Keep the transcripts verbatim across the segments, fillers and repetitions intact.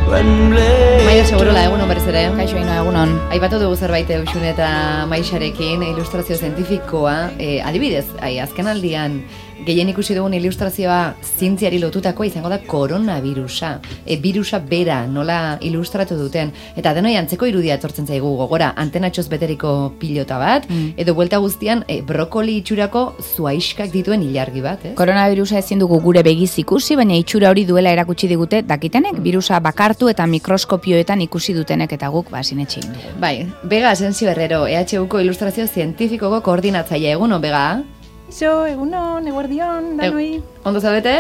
Maia Segurola, egunon berriz ere. Kaixo ino, egunon. Aipatu dugu zerbait Euxun eta Maixarekin, ilustrazio zientifikoa, eh, adibidez, ai, azken aldian, gehien ikusi dugun ilustrazioa zientziari lotutakoa izango da koronavirusa. E, virusa bera, nola ilustratu duten. Eta denoi antzeko irudia etortzen zaigu gogora, antenatxoz beteriko pilota bat, mm. edo buelta guztian e, brokoli itxurako zuaiskak dituen ilargi bat, ez? Koronavirusa ezin dugu gure begiz ikusi, baina itxura hori duela erakutsi digute dakitenek, mm. virusa bakartu eta mikroskopioetan ikusi dutenek eta guk basinetxe egin dugu. Bai, Bega Asensio Herrero, E H Uko ilustrazio zientifikoko koordinatzaile, egunon, Bega? Iso, egunon, eguerdion, danoi. E, ondo zaudete?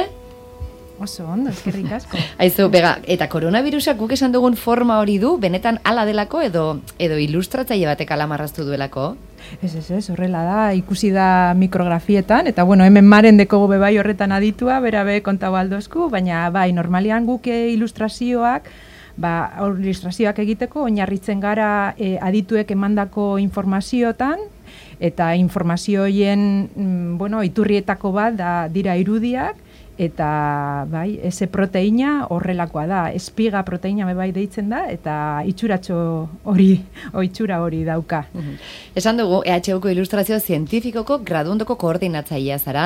Oso ondo, eskerrik asko. Aizu, Bega, eta koronavirusak guk esan dugun forma hori du, benetan ala delako edo edo ilustratzaile batek ala marraztu duelako? Ez, ez, ez, horrela da, ikusi da mikrografietan, eta bueno, hemen maren deko gobe bai horretan aditua, bera be kontau aldozku, baina bai, normalian guk ilustrazioak, ba, ilustrazioak egiteko, oinarritzen gara e, adituek emandako informaziotan, eta informazioien, bueno, iturrietako bat da dira irudiak, eta bai, ese proteina horrelakoa da, espiga proteina bai deitzen da, eta itxuratxo hori, oitxura hori dauka. Uhum. Esan dugu, E H Uko ilustrazio zientifikoko graduondoko koordinatzailea zara,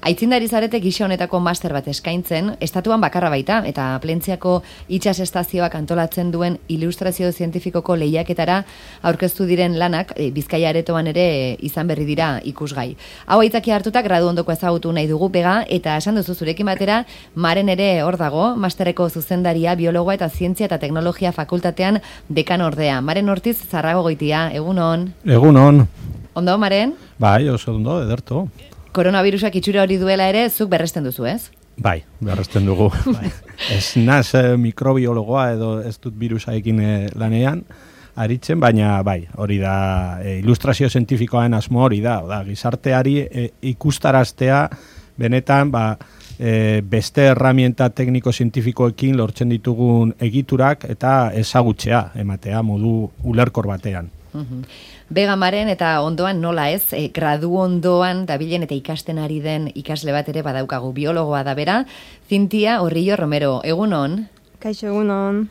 aitzindari zarete gisa honetako master bat eskaintzen, estatuan bakarra baita, eta Plentziako itsas estazioak antolatzen duen ilustrazio zientifikoko lehiaketara aurkeztu diren lanak, e, Bizkaia aretoan ere e, izan berri dira ikusgai. Hau aitzaki hartuta graduondoko ezagutu nahi dugu, Bega, eta esan duzu zure batera, Maren ere hor dago, masterreko zuzendaria, biologoa eta zientzia eta teknologia fakultatean dekan ordea. Maren Ortiz Zarrago goitia, egunon. Egunon. Ondo, Maren? Bai, oso ondo, ederto. Koronavirusak itxura hori duela ere, zuk berresten duzu, ez? Bai, berresten dugu. Bai. Ez naz eh, mikrobiologoa edo ez dut virusaekin eh, lanean, aritzen, baina bai, hori da, eh, ilustrazio zientifikoaren asmo hori da, da gizarteari eh, ikustaraztea, benetan, ba, E, beste herramienta tekniko-zientifikoekin lortzen ditugun egiturak eta ezagutzea ematea modu ulerkor batean. Uhum. Bega, Maren, eta ondoan nola ez, e, gradu ondoan dabilen eta ikasten ari den ikasle bat ere badaukagu, biologoa da bera, Zintia Orrillo Romero, egunon? Kaixo, egunon.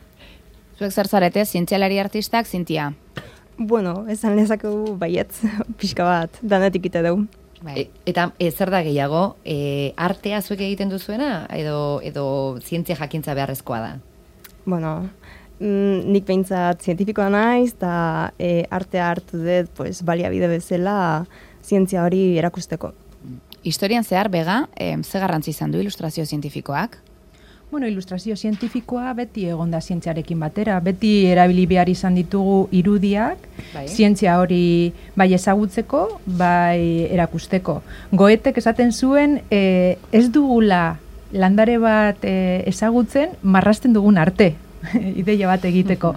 Zuek zer zarete, zientzialari artistak, Zintia? Bueno, esan lezakegu baietz, pixka bat, danetik ite dugu. E, eta e, zer da gehiago, e, artea zuek egiten duzuena edo, edo zientzia jakintza beharrezkoa da? Bueno, mm, nik behintzat zientifikoa naiz, eta e, artea hartu dut pues, baliabide bezala zientzia hori erakusteko. Historian zehar, Bega, e, ze garrantzi izan du ilustrazio zientifikoak? Bueno, ilustrazio zientifikoa beti egonda zientziarekin batera, beti erabili behar izan ditugu irudiak, bai. Zientzia hori bai ezagutzeko, bai erakusteko. Goetek esaten zuen, e, ez dugula landare bat e, ezagutzen, marrasten dugun arte, ideia bat egiteko.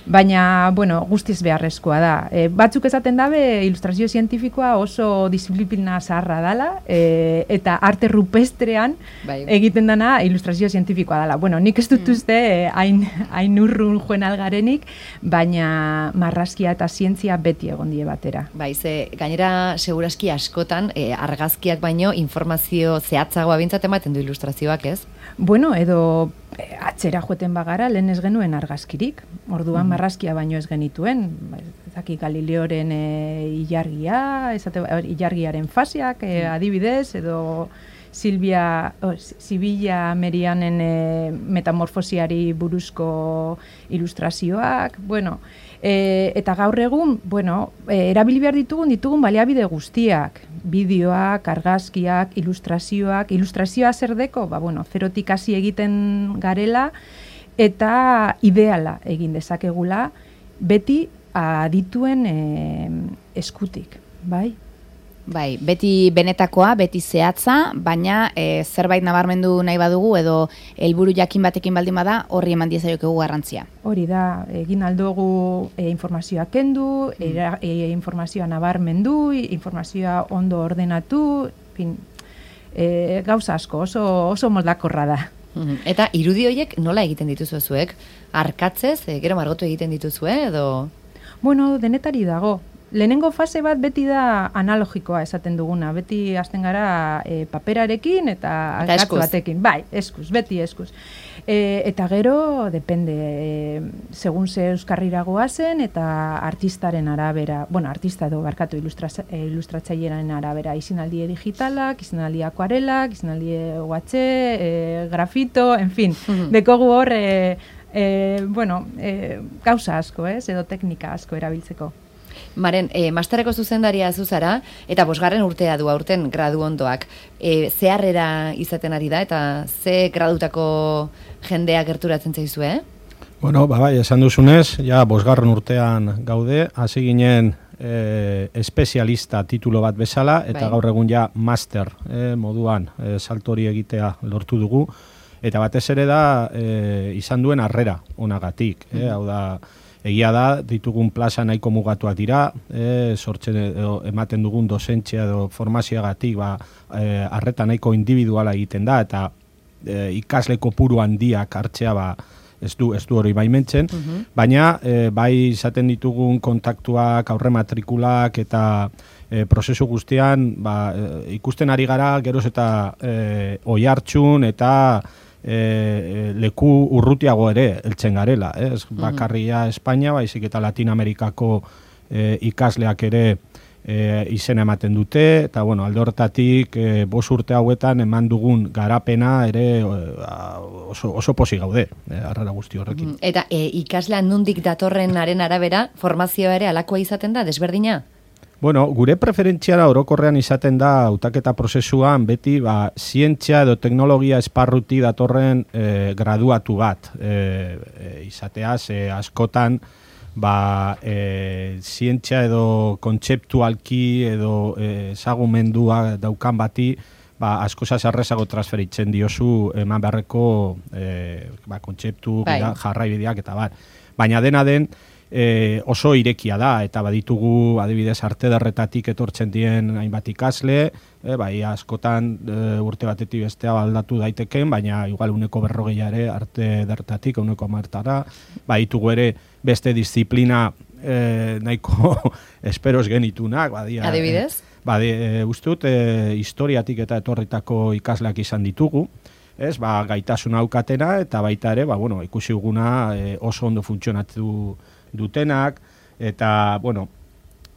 Baina, bueno, guztiz beharrezkoa da. E, batzuk esaten dabe, ilustrazio zientifikoa oso disiplina zaharra dala, e, eta arte rupestrean bai. Egiten dana ilustrazio zientifikoa dala. Bueno, nik ez dut uste, hain mm. urrun joen algarenik, baina marrazkia eta zientzia beti egon die batera. Bai, ze, gainera, seguraski askotan, e, argazkiak baino, informazio zehatzagoa bintzat ematen du ilustrazioak, ez? Bueno, edo e, atzera joeten bagara, lehen ez genuen argazkirik. Orduan mm. marrazkia baino ez genituen. Zaki Galileoren e, ilargia, esate, ilargiaren faseak, e, adibidez, edo Silvia, oh, Sibilla Merianen e, metamorfosiari buruzko ilustrazioak, bueno, e, eta gaur egun, bueno, e, erabili behar ditugun ditugun baliabide guztiak, bideoak, argazkiak, ilustrazioak, ilustrazioa zer deko, ba, bueno, zerotik hasi egiten garela, eta ideala egin dezakegula, beti adituen e, eskutik, bai? Bai, beti benetakoa, beti zehatza, baina e, zerbait nabarmendu nahi badugu edo helburu jakin batekin baldin bada, horri eman diezaiokegu garrantzia. Hori da, egin aldugu e, informazioa kendu, mm. e, informazioa nabarmendu, informazioa ondo ordenatu, fin, e, gauza asko, oso, oso moldakorra da. Eta irudi horiek nola egiten dituzu zuek? Arkatzez, e, gero margotu egiten dituzue edo? Bueno, denetari dago. lehenengo fase bat beti da analogikoa esaten duguna, beti hasten gara e, paperarekin eta gatz batekin. Bai, eskuz, beti eskuz. E, eta gero, depende, e, segun ze euskarrira goazen eta artistaren arabera, bueno, artista edo barkatu ilustratzaileren arabera, izenaldi digitalak, izenaldi akuarelak, izenaldi uhatxe, e, grafito, en fin, mm-hmm. dekogu hor, e, e, bueno, e, gauza asko, ez, edo teknika asko erabiltzeko. Maren, e, masterreko zuzendaria zuzara, eta bosgarren urtea du aurten gradu ondoak. E, zeharrera izaten ari da, eta ze gradutako jendea gerturatzen zaizu, eh? Bueno, ba, bai, esan duzunez, ja, bosgarren urtean gaude, hasi ginen e, espezialista titulo bat bezala, eta bai. Gaur egun ja master e, moduan e, saltori egitea lortu dugu, eta batez ere da e, izan duen harrera onagatik, e, hau da, egia da, ditugun plaza nahiko mugatuak dira, e, sortzen edo ematen dugun dozentzia edo formazioagatik, ba, e, arreta nahiko individuala egiten da, eta e, ikasle kopuru handiak hartzea, ba, ez du, ez du hori baimentzen, uh-huh. baina e, bai izaten ditugun kontaktuak, aurre matrikulak eta e, prozesu guztian, ba, e, ikusten ari gara, geroz eta e, oihartzun eta E, leku urrutiago ere heltzen garela, eh? Ez bakarria Espainia, baizik eta Latinamerikako e, ikasleak ere e, izena ematen dute, eta bueno, alde horretatik e, bost urte hauetan eman dugun garapena ere oso, oso posi gaude, e, arrara guzti horrekin. Eta e, ikaslea nondik datorrenaren arabera formazioa ere alakoa izaten da, desberdina? Bueno, gure preferentziara orokorrean izaten da hautaketa prozesuan beti ba, zientzia edo teknologia esparruti datorren e, graduatu bat e, e, izatea, ze askotan ba, e, zientzia edo kontzeptualki edo ezagumendua e, daukan bati ba, askosa zarrezago transferitzen diozu eman beharreko e, ba, kontzeptu, bai. Jarraibideak eta bat. Baina dena den, E, oso irekia da, eta baditugu adibidez arte derretatik etortzen dien hainbat ikasle, e, bai askotan e, urte batetik bestea aldatu daiteken, baina igual uneko berrogeia ere arte derretatik, uneko martara, baditugu ere beste disiplina e, nahiko esperos genitunak, badia. Adibidez? E, badi, e, ustut, e, historiatik eta etorritako ikasleak izan ditugu, ez, ba, gaitasun aukatena, eta baita ere, ba, bueno, ikusi duguna e, oso ondo funtzionatu dutenak, eta, bueno,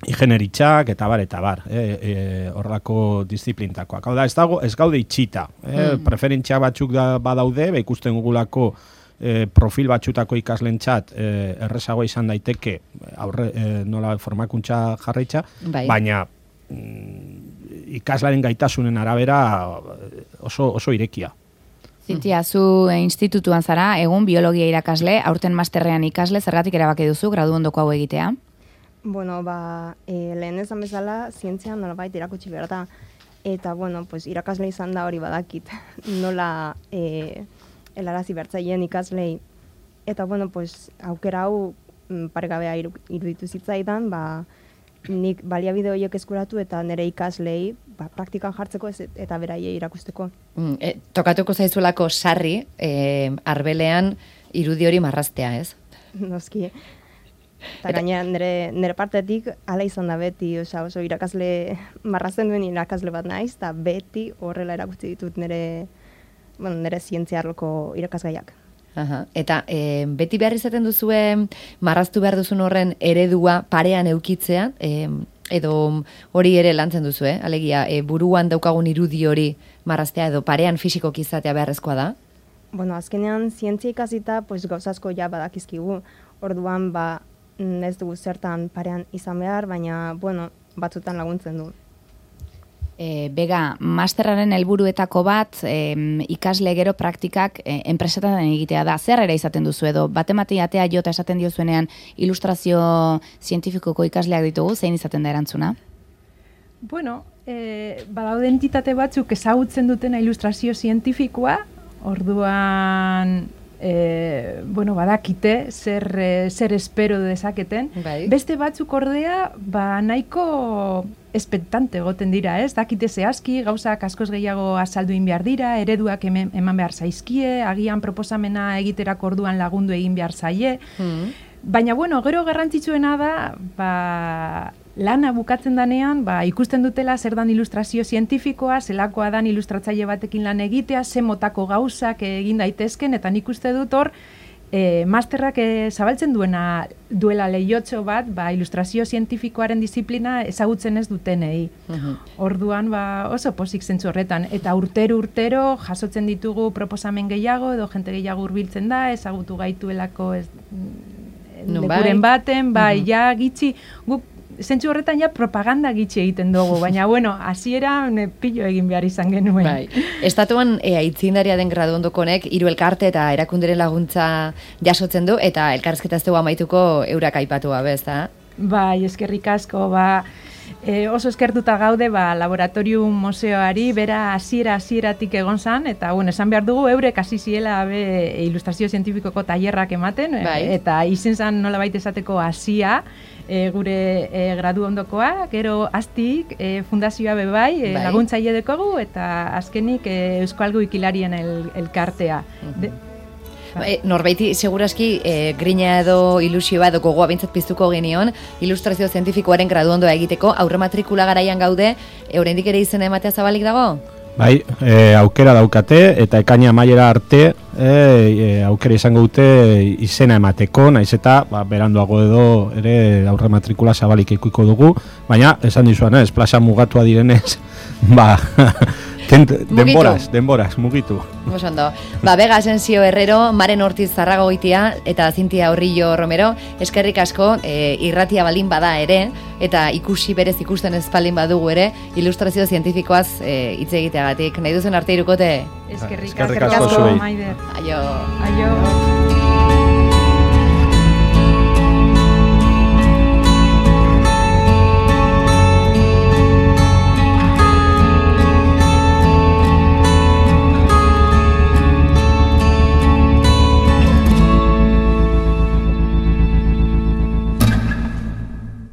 ingenieritzak, eta bar, eta bar, e, e, horrelako disiplintakoak. Hau da, ez, dago, ez gaude itxita, e, mm. preferentzia batzuk da, badaude, ba, ikusten gugulako e, profil batzutako ikaslentzat e, errezagoa izan daiteke, aurre, e, nola formakuntza jarraitza, bai. Baina mm, ikaslaren gaitasunen arabera oso, oso irekia. Zintia, zu institutuan zara, egun biologia irakasle, aurten masterrean ikasle, zergatik erabaki duzu, gradu ondoko hau egitea? Bueno, ba, e, lehen ezan bezala, zientzian nolabait irakutsi behar da. Eta, bueno, pues, irakasle izan da hori badakit. Nola e, helarazi bertzaien ikaslei. Eta, bueno, pues, aukera hau paregabea iruditu zitzaidan, ba, nik baliabide horiek eskuratu eta nire ikaslei ba, praktikan jartzeko ez, eta beraiei irakusteko. Mm, e, tokatuko zaizulako sarri, e, arbelean irudi hori marraztea, ez? Noski. Eta gaina nire, nire partetik ala izan da beti, oza, oso irakasle marrazten duen irakasle bat naiz, eta beti horrela erakutsi ditut nire, bueno, nire zientziarloko irakasgaiak. Aha. Eta e, beti behar izaten duzue marraztu behar duzun horren eredua parean eukitzea, e, edo hori ere lantzen duzu, eh? Alegia, e, buruan daukagun irudi hori marraztea edo parean fisikoki izatea beharrezkoa da? Bueno, azkenean zientzia ikasita pues, gauzazko ja badakizkigu, orduan ba, ez dugu zertan parean izan behar, baina bueno, batzutan laguntzen du. E, Bega, masterraren helburuetako bat e, ikasle gero praktikak e, enpresetan egitea da. Zer ere izaten duzu edo, batematiatea jota esaten diozuenean ilustrazio zientifikoko ikasleak ditugu, zein izaten da erantzuna? Bueno, e, badaude entitate batzuk ezagutzen dutena ilustrazio zientifikoa, orduan e, bueno, badakite zer, zer espero dezaketen. Bai. Beste batzuk ordea, ba nahiko espektante goten dira, ez? Dakite zehazki, gauzak askoz gehiago azaldu egin behar dira, ereduak eman, eman behar zaizkie, agian proposamena egiterako orduan lagundu egin behar zaie. Mm. Baina, bueno, gero garrantzitsuena da, ba, lana bukatzen danean, ba, ikusten dutela zer dan ilustrazio zientifikoa, zelakoa dan ilustratzaile batekin lan egitea, ze motako gauzak egin daitezken, eta nik uste dut hor, e, masterrak e, zabaltzen duena duela lehiotxo bat, ba, ilustrazio zientifikoaren disiplina ezagutzen ez dutenei. Uh-huh. Orduan, ba, oso pozik zentzu horretan, eta urtero urtero jasotzen ditugu proposamen gehiago, edo jente gehiago hurbiltzen da, ezagutu gaituelako ez, no, lekuren bai. baten, bai, uh-huh. ja gitxi, guk zentzu horretan ja propaganda gitxe egiten dugu, baina bueno, hasiera pillo egin behar izan genuen. Bai. Estatuan e, aitzindaria den gradu ondokonek hiru elkarte eta erakunderen laguntza jasotzen du, eta elkarrizketa ez dugu amaituko eurak aipatu gabe, ezta? Bai, eskerrik asko, ba, e, oso eskertuta gaude, ba, laboratorium museoari, bera hasiera hasieratik egon zan, eta bueno, esan behar dugu, eurek hasi ziela be, ilustrazio zientifikoko tailerrak ematen, bai. Eta izen zan nolabait esateko hasia, E, gure e, gradu ondokoa, gero aztik e, fundazioa be bai, e, bai. laguntzaile dekogu, eta azkenik e, Euskalgo Ikilarien el, elkartea. Uh-huh. De, e, norbaiti, seguraski, e, grina edo ilusioa edo gogoa bintzat piztuko genion, ilustrazio zientifikoaren gradu ondoa egiteko, aurre matrikula garaian gaude, e, oraindik ere izena ematea zabalik dago? Bai, e, aukera daukate, eta ekaina maiera arte e, e, aukera izango dute izena emateko, naiz eta ba, beranduago edo ere aurre matrikula zabalik ikuiko dugu, baina esan dizuan ez, plaza mugatua direnez, ba, tent, denboraz, denboraz, mugitu. Osondo. Ba, Bega Asensio Herrero, Maren Ortiz Zarragoitia eta Zintia Horrillo Romero, eskerrik asko, e, irratia baldin bada ere, eta ikusi berez ikusten ez baldin badugu ere, ilustrazio zientifikoaz e, hitz egiteagatik. Nahi duzen arte irukote? Eskerrik, eskerrik asko, asko, Maider. Aio. Aio.